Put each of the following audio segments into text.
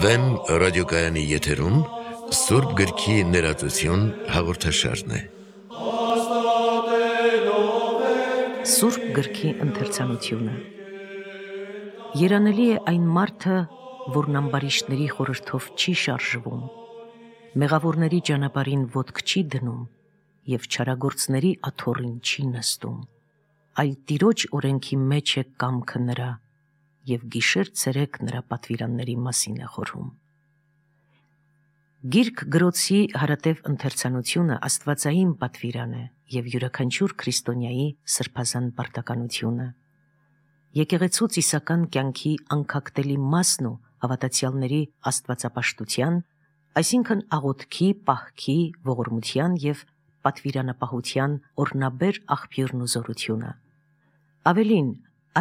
Վեն ռադիոկայանի եթերում Սուրբ գրքի ներածություն հաղորդաշարն է։ Սուրբ գրքի ընթերցանությունը։ Երանելի է այն մարդը, որն ամբարիշտների խորհրդով չի շարժվում, մեղավորների ճանապարհին ոտք չի դնում և չարագործների աթոռին չի նստում, այլ Տիրոջ օրենքի մեջ է կամքը նրա և գիշեր-ցերեկ նրա պատվիրանների մասին է խորհում։ Գիրք գրոցի հարատև ընթերցանությունը աստվածային պատվիրան է և յուրաքանչյուր քրիստոնյայի սրբազան պարտականությունը։ Եկեղեցու ծիսական կյանքի անկախտելի մասն ու հավատացյալների աստվածապաշտության, այսինքն աղոթքի, պահքի, ողորմության և պատվիրանապահության օրհնաբեր աղբյուրն ու զորությունը։ Ավելին,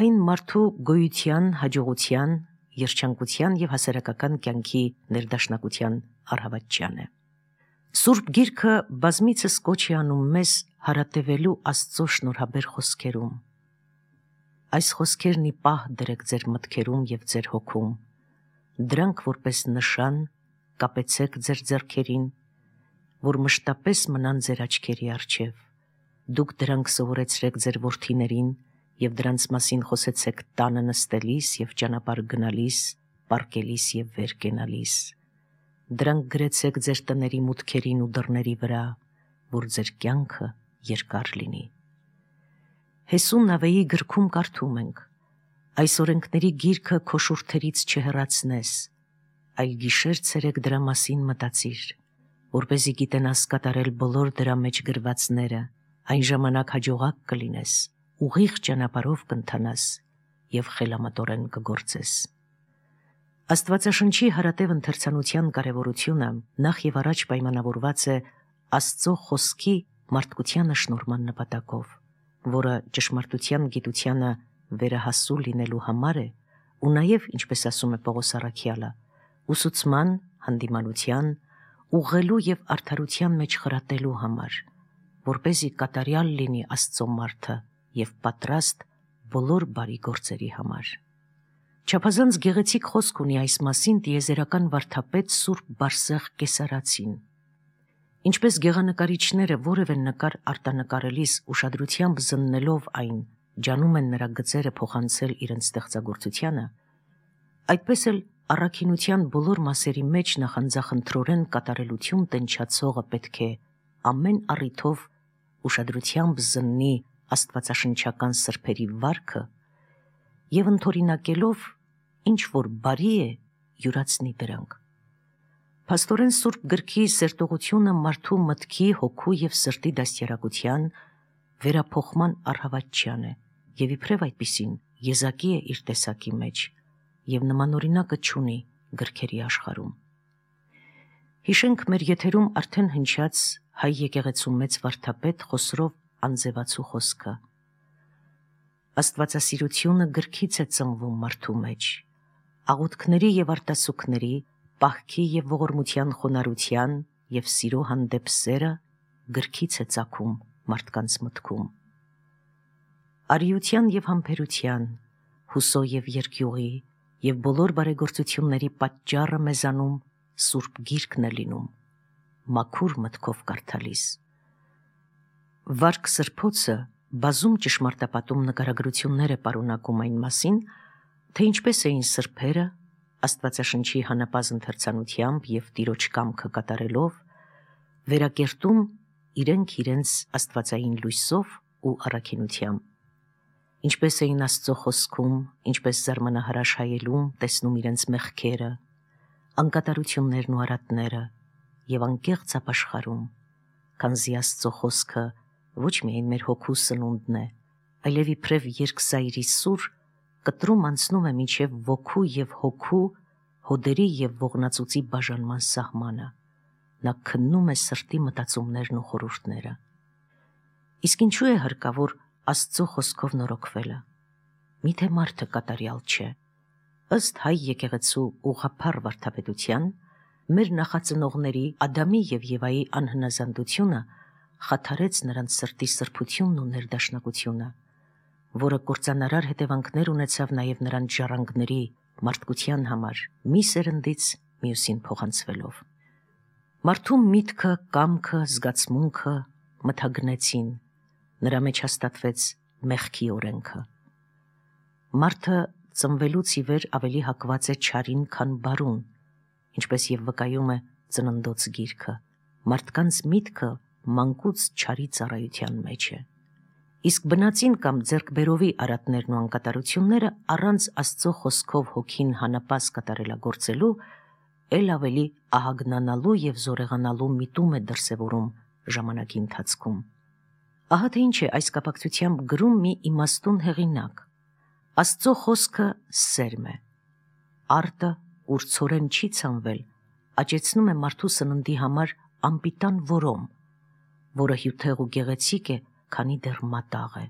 այն մարդու գոյության, հաջողության, երջանկության և հասարակական կյանքի ներդաշնակության առհավատչյան է։ Սուրբ Գիրքը բազմիցս կոչ է անում մեզ հարատևելու Աստծո շնորհաբեր խոսքերում։ Այս խոսքերն ի պահ դրեք ձեր մտքերում և ձեր հոգում, դրանք որպես նշան կապեցեք ձեր ձեռքերին, որ մշտապես մնան ձեր աչքերի առջև։ Դուք դրանք սովորեցրեք ձեր որդիներին և դրանց մասին խոսեցեք տանը նստելիս և ճանապարհ գնալիս, պառկելիս և վեր կենալիս։ Դրանք գրեցեք ձեր տների մուտքերին ու դռների վրա, որ ձեր կյանքը երկար լինի։ Հեսու Նավեի գրքում կարդում ենք. այս օրենքների գիրքը քո շուրթերից չհեռացնես, այլ գիշեր-ցերեկ դրա մասին մտածիր, որպեսզի գիտենաս կատարել բոլոր դրա մեջ գրվածները, այն ժամանակ հաջողակ կլինես, ուղիղ ճանապարհով կընթանաս և խելամտորեն կգործես։ Աստվածաշնչի հարատև ընթերցանության կարևորությունը նախ և առաջ պայմանավորված է Աստծո խոսքի մարդկությանը շնորհման նպատակով, որը ճշմարտության գիտությանը վերահասու լինելու համար է ու նաև, ինչպես ասում է Պողոս առաքյալը, ուսուցման, հանդիմանության, ուղղելու և արդարության մեջ խրատելու համար, որպեսզի կատարյալ լինի Աստծո մարդը և պատրաստ բոլոր բարի գործերի համար։ Չափազանց գեղեցիկ խոսք ունի այս մասին տիեզերական վարդապետ Սուրբ Բարսեղ Կեսարացին։ Ինչպես գեղանկարիչները որևէ նկար արտանկարելիս ուշադրությամբ զննելով այն, ջանում են նրա գծերը փոխանցել իրենց ստեղծագործությանը, այդպես էլ առաքինության բոլոր մասերի մեջ նախանձախնդրորեն կատարելություն տնչացողը պետք է ամեն առիթով ուշադրությամբ զննի աստվածաշնչական սրբերի վարքը և ընդօրինակելով ինչ որ բարի է, յուրացնի դրանք։ Փաստորեն Սուրբ Գրքի սերտողությունը մարդու մտքի, հոգու և սրտի դաստիարակության, վերափոխման առհավատչյան է և իբրև այդպիսին եզակի է իր տեսակի մեջ և նմանօրինակը չունի գրքերի աշխարհում։ Հիշենք մեր եթերում արդեն հնչած հայ եկեղեցու մեծ վարդապետ Խոսրով Անձևացու խոսքը. Աստվածասիրությունը գրքից է ծնվում մարդու մեջ, աղոթքների և արտասուքների, պահքի և ողորմության խոնարհության և սիրո հանդեպ սերը գրքից է ծագում մարդկանց մտքում։ Արիության և համբերության, հուսո և երկյուղի և բոլոր բարեգործությունների պատճառը մեզանում Սուրբ Գիրքն է լինում, մաքուր մտքով կարդալիս։ Վարք սրբոցը բազում ճշմարտապատում նկարագրություններ է պարունակում այն մասին, թե ինչպես էին սրբերը Աստվածաշնչի հանապազն ընթերցանությամբ և Տիրոջ կամքը կատարելով վերակերտում իրենք իրենց աստվածային լույսով ու առաքինությամբ, ինչպես էին Աստծո խոսքում, ինչպես զարմանահրաշ հայելում տեսնում իրենց մեղքերը, անկատարություններն ու արատները և անկեղծ ապաշխարում, քանզի Աստծո խոսքը ոչ միայն մեր հոգու սնունդն է, այլև իբրև երկսայրի սուր կտրում անցնում է մինչև ոգու և հոգու, հոդերի և ողնածուծի բաժանման սահմանը, նա քննում է սրտի մտածումներն ու խորհուրդները։ Իսկ ինչու է հարկավոր Աստծո խոսքով նորոգվելը։ Միթե մարդը կատարյալ չէ։ Ըստ հայ եկեղեցու ուղղափառ վարդապետության, մեր նախածնողների Ադամի և Եվայի անհնազանդությունը խաթարեց նրանց սրտի սրբությունն ու ներդաշնակությունը, որը կործանարար հետևանքներ ունեցավ նաև նրանց ժառանգների մարդկության համար, մի սերնդից մյուսին փոխանցվելով։ Մարդու միտքը, կամքը, զգացմունքը մթագնեցին, նրա մեջ հաստատվեց մեղքի օրենքը։ Մարդը ծնվելուց ի վեր ավելի հակված է չարին, քան բարուն, ինչպես եւ վկայում է Ծննդոց գիրքը։ Մարդկանց միտքը մանկուց չարի ծառայության մեջ է։ Իսկ բնածին կամ ձեռքբերովի արատներն ու անկատարությունները առանց Աստծո խոսքով հոգին հանապաս կատարելագործելու ել ավելի ահագնանալու եւ զորեղանալու միտում է դրսևորում ժամանակի ընթացքում։ Ահա թե ինչ է այս կապակցությամբ գրում մի իմաստուն հեղինակ. Աստծո խոսքը սերմ է։ Արտը, ուր ցորեն չի ցանվել, աճեցնում է մարդու սննդի համար անպիտան որոմ, որը հյութեղ ու գեղեցիկ է, քանի դեռ մատաղ է,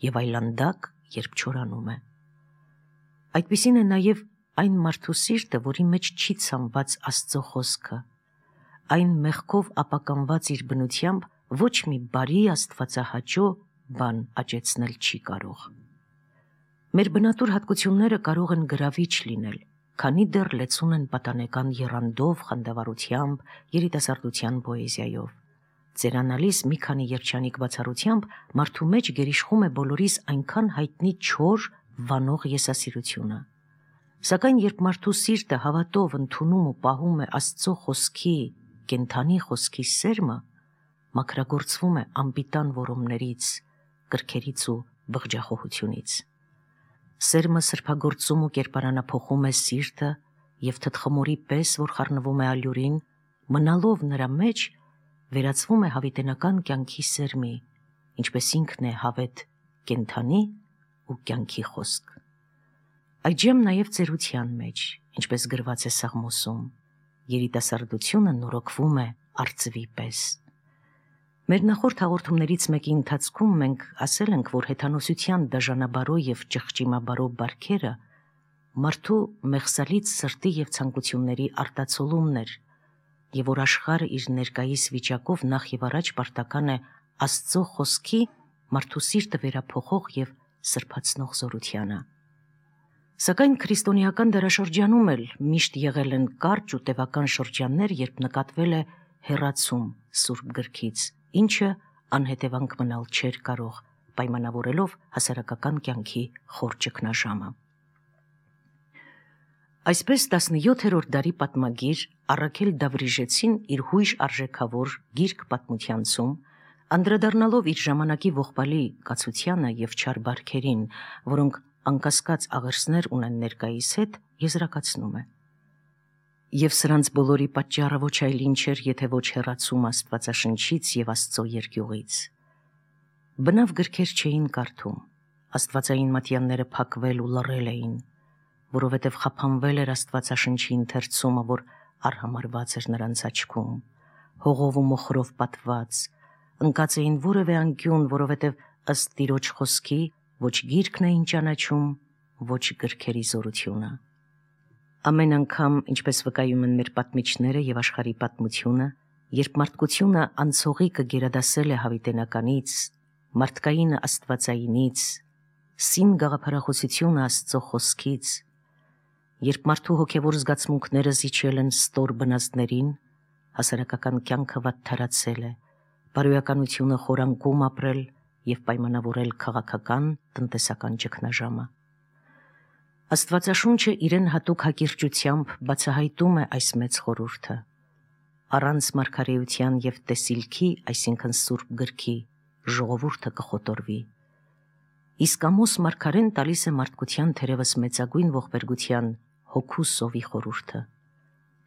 եւ այլանդակ, երբ չորանում է։ Այդպիսին է նաև այն մարդու սիրտը, որի մեջ չի ցանված Աստծո խոսքը, այն մեղքով ապականված իր բնությամբ ոչ մի բարի աստվածահաճո բան աճեցնել չի կարող։ Մեր բնատուր հատկությունները կարող են գրավիչ լինել, քանի դեռ լեցուն են պատանեկան եռանդով, խանդավառությամբ, երիտասարդության պոեզիայով։ Ծերանալիս մի քանի երջանիկ բացառությամբ մարդու մեջ գերիշխում է բոլորիս այնքան հայտնի չոր, վանող եսասիրությունը։ Սակայն երբ մարդու սիրտը հավատով ընդունում ու պահում է Աստծո խոսքի, կենդանի խոսքի սերմը, մաքրագործվում է անպիտան որոմներից, կրքերից ու բղջախոհությունից։ Սերմը սրբագործում ու կերպարանափոխում է սիրտը եւ թտխմորի պես, որ խառնվում է ալյուրին, մնալով նրա մեջ, վերածվում է հավիտենական կյանքի սերմի, ինչպես ինքն է հավետ կենդանի ու կյանքի խոսք։ Այժմ նաև ծերության մեջ, ինչպես գրված է Սաղմոսում, երիտասարդությունը նորոգվում է արծվի պես։ Մեր նախորդ հաղորդումներից մեկի ընթացքում մենք ասել ենք, որ հեթանոսության դաժանաբարո եւ ճղճիմաբարո բարքերը մարդու մեղսալից սրտի եւ ցանկությունների արտացոլումն էր, եւ որ աշխարհը իր ներկայիս վիճակով նախ եւ առաջ պարտական է Աստծո խոսքի մարդու սիրտը վերափոխող եւ սրբացնող զորությանը։ Սակայն քրիստոնեական դարաշրջանում էլ միշտ եղել են կարճ ու տևական շրջաններ, երբ նկատվել է հեռացում Սուրբ գրքից, ինչը անհետևանք մնալ չէր կարող, պայմանավորելով հասարակական կյանքի խոր ճգնաժամը։ Այսպես 17-րդ դարի պատմագիր Առաքել Դավրիժեցին իր հույժ արժեքավոր գիրք պատմությանցում, անդրադառնալով իր ժամանակի ողբալի կացությանը եւ չար բարքերին, որոնք անկասկած աղերսներ ունեն ներկայիս հետ, եզրակացնում է. Եվ սրանց բոլորի պատճառը ոչ այլ ինչ էր, եթե ոչ հեռացում Աստվածաշնչից եւ Աստծո երկյուղից։ Բնավ գրքեր չէին կարդում, աստվածային մատյանները փակվել ու լռել էին, որովհետև խափանվել էր Աստվածաշնչի ընթերցումը, որ արհամարված էր նրանց աչքում, հողով ու մոխրով պատված, ընկած էին որևէ անկյուն, որովհետև ըստ Տիրոջ խոսքի ոչ գիրքն էին ճանաչում, ոչ գրքերի զորությունը։ Ամեն անգամ, ինչպես վկայում են մեր պատմիչները եւ աշխարհի պատմությունը, երբ մարդկությունը անցողի կգերադասել է հավիտենականից, մարդկայինը աստվածայինից, սին գաղափարախոսությունը Աստծո խոսքից, երբ մարդու հոգևոր զգացմունքները զիջել են ստոր բնազդներին, հասարակական կյանքը վատթարացել է, բարոյականությունը խորանկում ապրել եւ պայմանավորել քաղաքական, տնտեսական ճգնաժամը։ Աստվածաշունչը իրեն հատուկ հակիրճությամբ բացահայտում է այս մեծ խորհուրդը։ Առանց մարգարեության եւ տեսիլքի, այսինքն Սուրբ գրքի, ժողովուրդը կխոտորվի։ Իսկ Ամոս մարգարեն տալիս է մարդկության թերևս մեծագույն ողբերգության հոգու սովի խորհուրդը։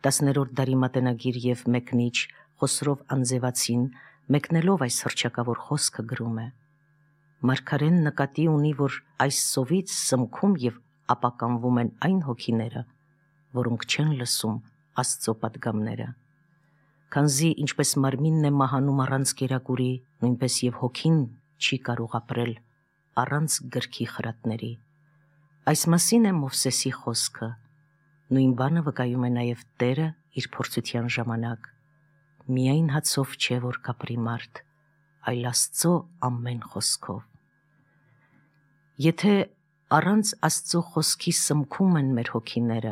10-րդ դարի մատենագիր եւ մեկնիչ Խոսրով Անձևացին, մեկնելով այս հռչակավոր խոսքը, գրում է. Մարգարեն նկատի ունի, որ այս սովից սմքում եւ ապականվում են այն հոգիները, որոնք չեն լսում Աստծո պատգամները։ Քանզի ինչպես մարմինն է մահանում առանց կերակուրի, նույնպես եւ հոգին չի կարող ապրել առանց գրքի խրատների։ Այս մասին է Մովսեսի խոսքը։ Նույն բանը վկայում է նաեւ Տերը իր փորձության ժամանակ. միայն հացով չէ, որ կապրի մարդ, այլ Աստծո ամեն խոսքով։ Եթե առանց Աստծո խոսքի սմքում են մեր հոգիները,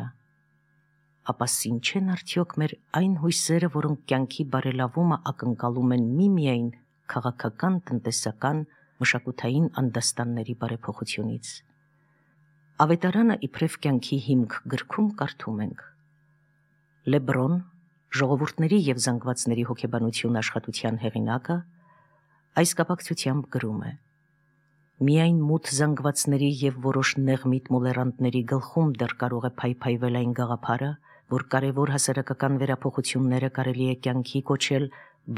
ապա սին չեն արդյոք մեր այն հույսերը, որոնք կյանքի բարելավումը ակնկալում են միմիայն քաղաքական, տնտեսական, մշակութային անդաստանների բարեփոխությունից։ Ավետարանը իբրև կյանքի հիմք գրքում կարդում ենք. Լեբրոն, ժողովուրդների և զանգվածների հոգեբանություն աշխատության հեղինակը, այս կապակցությամբ գրում է. միայն մութ զանգվածների և որոշ նեղմիտ մոլեռանդների գլխում դեռ կարող է փայփայվել այն գաղափարը, որ կարևոր հասարակական վերափոխությունները կարելի է կյանքի կոչել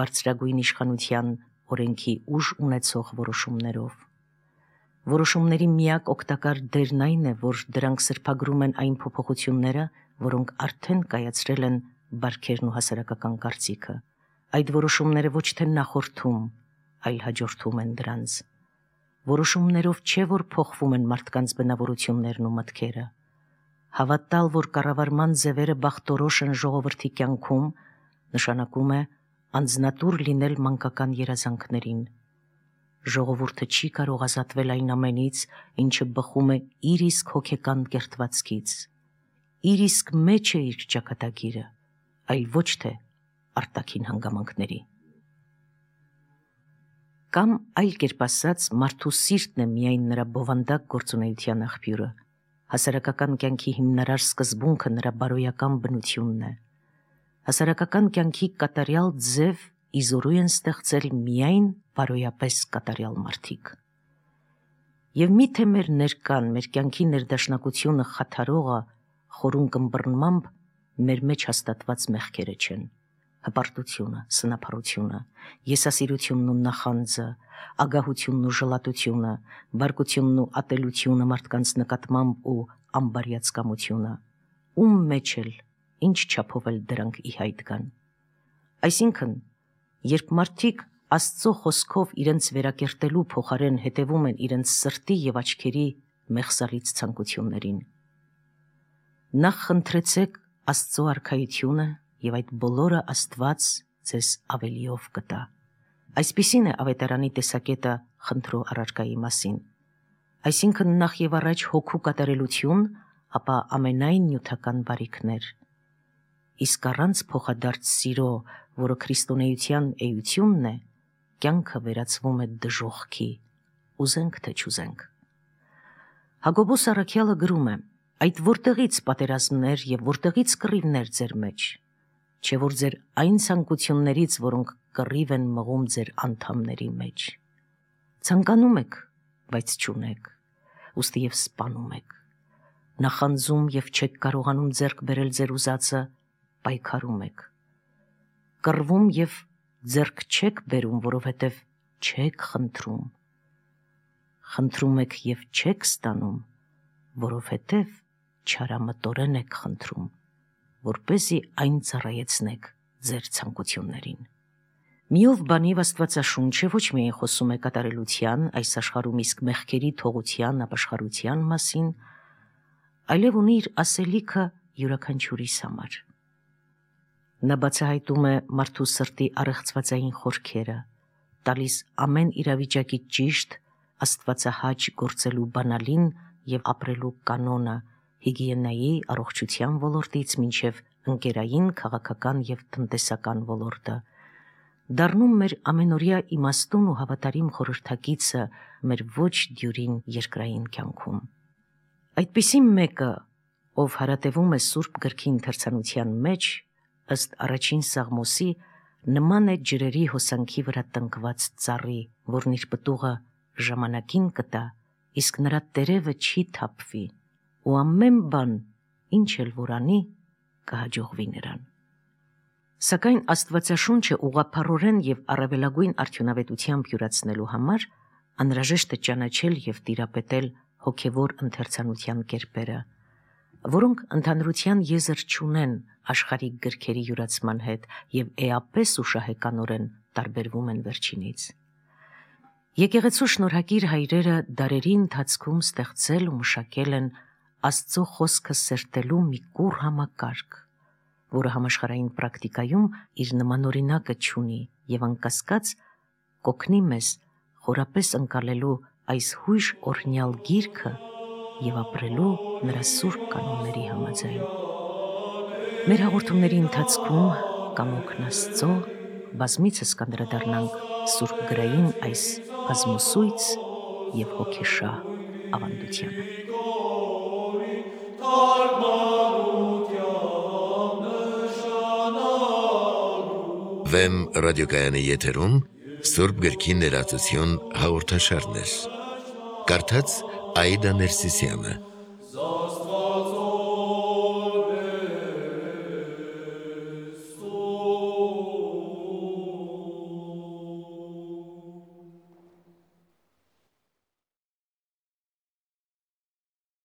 բարձրագույն իշխանության օրենքի ուժ ունեցող որոշումներով։ Որոշումների միակ օգտակար դերն այն է, որ դրանք սրբագրում են այն փոփոխությունները, որոնք արդեն կայացրել են բարքերն ու հասարակական կարծիքը։ Այդ որոշումները ոչ թե նախորդում, այլ հաջորդում են դրանց։ Որոշումներով չէ, որ փոխվում են մարդկանց բնավորություններն ու մտքերը։ Հավատալ, որ կառավարման ձևերը բախտորոշ են ժողովրդի կյանքում, նշանակում է անձնատուր լինել մանկական երազանքներին։ Ժողովուրդը չի կարող ազատվել այն ամենից, ինչը բխում է իր իսկ հոգեկան կերտվածքից։ Իր իսկ մեջ է իր ճակատագիրը, այլ ոչ թե արտաքին հանգամանքների։ Կամ այլ կերպ ասած, մարդու սիրտն է միայն նրա բովանդակ գործունեության աղբյուրը։ Հասարակական կյանքի հիմնարար սկզբունքը նրա բարոյական բնությունն է։ Հասարակական կյանքի կատարյալ ձև իզորու են ստեղծել միայն բարոյապես կատարյալ մարդիկ։ Եվ միթե մեր ներկան, մեր կյանքի ներդաշնակությունը խաթարողը խորուն կմբռնմամբ մեր մեջ հաստատված մեղքերը չեն։ Հպարտությունը, սնափառությունը, եսասիրությունն ու նախանձը, ագահությունն ու ժլատությունը, բարկությունն ու ատելությունը մարդկանց նկատմամբ ու ամբարյացկամությունը, ում մեջ էլ, ինչ չափով էլ դրանք ի հայտ կան։ Այսինքն, երբ մարդիկ Աստծո խոսքով իրենց վերակերտելու փոխարեն հետևում են իրենց սրտի և աչքերի մեղսալից ցանկություններին, նախ խնդրեցեք Աստծո արքայությունը և այդ բոլորը Աստված ձեզ ավելիով կտա։ Այսպիսին է ավետարանի տեսակետը խնդրո առարկայի մասին։ Այսինքն նախ և առաջ հոգու կատարելություն, ապա ամենայն նյութական բարիքներ։ Իսկ առանց փոխադարձ սիրո, որը քրիստոնեության էությունն է, կյանքը վերածվում է դժոխքի, ուզենք թե չուզենք։ Հակոբոս առաքյալը գրում է. «Այդ որտեղից պատերազմներ և որտեղից կռիվներ ձեր մեջ, չէ որ ձեր այն ցանկություններից, որոնք կռիվ են մղում ձեր անդամների մեջ։ Ցանկանում եք, բայց չունեք, ուստի և սպանում եք, նախանձում և չեք կարողանում ձեռք բերել ձեր ուզածը, պայքարում եք, կռվում և ձեռք չեք բերում, որովհետև չեք խնդրում, խնդրում եք և չեք ստանում, որովհետև չարամտորեն եք խնդրում, որպեսզի այն ծառայեցնեք ձեր ցանկություններին»։ Միով բանիվ Աստվածաշունչը ոչ միայն խոսում է կատարելության, այս աշխարհում իսկ մեղքերի թողության ապաշխարության մասին, այլև ունի իր ասելիքը յուրաքանչյուրիս համար։ Նա բացահայտում է մարդու սրտի առեղծվածային խորքերը, տալիս ամեն իրավիճակի ճիշտ, աստվածահաճ գործելու բանալին և ապրելու կանոնը հիգիենայի, առողջության ոլորտից մինչև ընկերային, քաղաքական և տնտեսական ոլորտը, դառնում մեր ամենօրյա իմաստուն ու հավատարիմ խորհրդակիցը մեր ոչ դյուրին երկրային կյանքում։ Այդպիսի մեկը, ով հարատևում է Սուրբ գրքի ընթերցանության մեջ, ըստ առաջին Սաղմոսի, նման է ջրերի հոսանքի վրա տնկված ծառի, որն իր պտուղը ժամանակին կտա, իսկ նրա տերևը չի թափվի, ու ամեն բան, ինչ էլ որ անի, կհաջողվի նրան։ Սակայն Աստվածաշունչը ուղղափառորեն և առավելագույն արդյունավետությամբ յուրացնելու համար անհրաժեշտ է ճանաչել և տիրապետել հոգևոր ընթերցանության կերպերը, որոնք ընդհանրության եզր չունեն աշխարհիկ գրքերի յուրացման հետ և էապես ու շահեկանորեն տարբերվում են վերջինից։ Եկեղեցու շնորհակիր հայրերը դարերի ընթացքում ստեղծել ու մշակել են Աստծո խոսքը սերտելու մի կուռ համակարգ, որը համաշխարհային պրակտիկայում իր նմանօրինակը չունի և անկասկած կօգնի մեզ խորապես ընկալելու այս հույժ օրհնյալ գիրքը և ապրելու նրա սուրբ կանոնների համաձայն։ Մեր հաղորդումների ընթացքում կամոքն Աստծո բազմիցս կանդրադառնանք Սուրբ գրային այս բազմուսույց և հոգեշահ ավանդությանը։ Վեմ ռադիոկայանի եթերում Սուրբ գրքի ներածություն հաղորդաշարներ։ Կարդաց Աիդա Ներսիսյանը։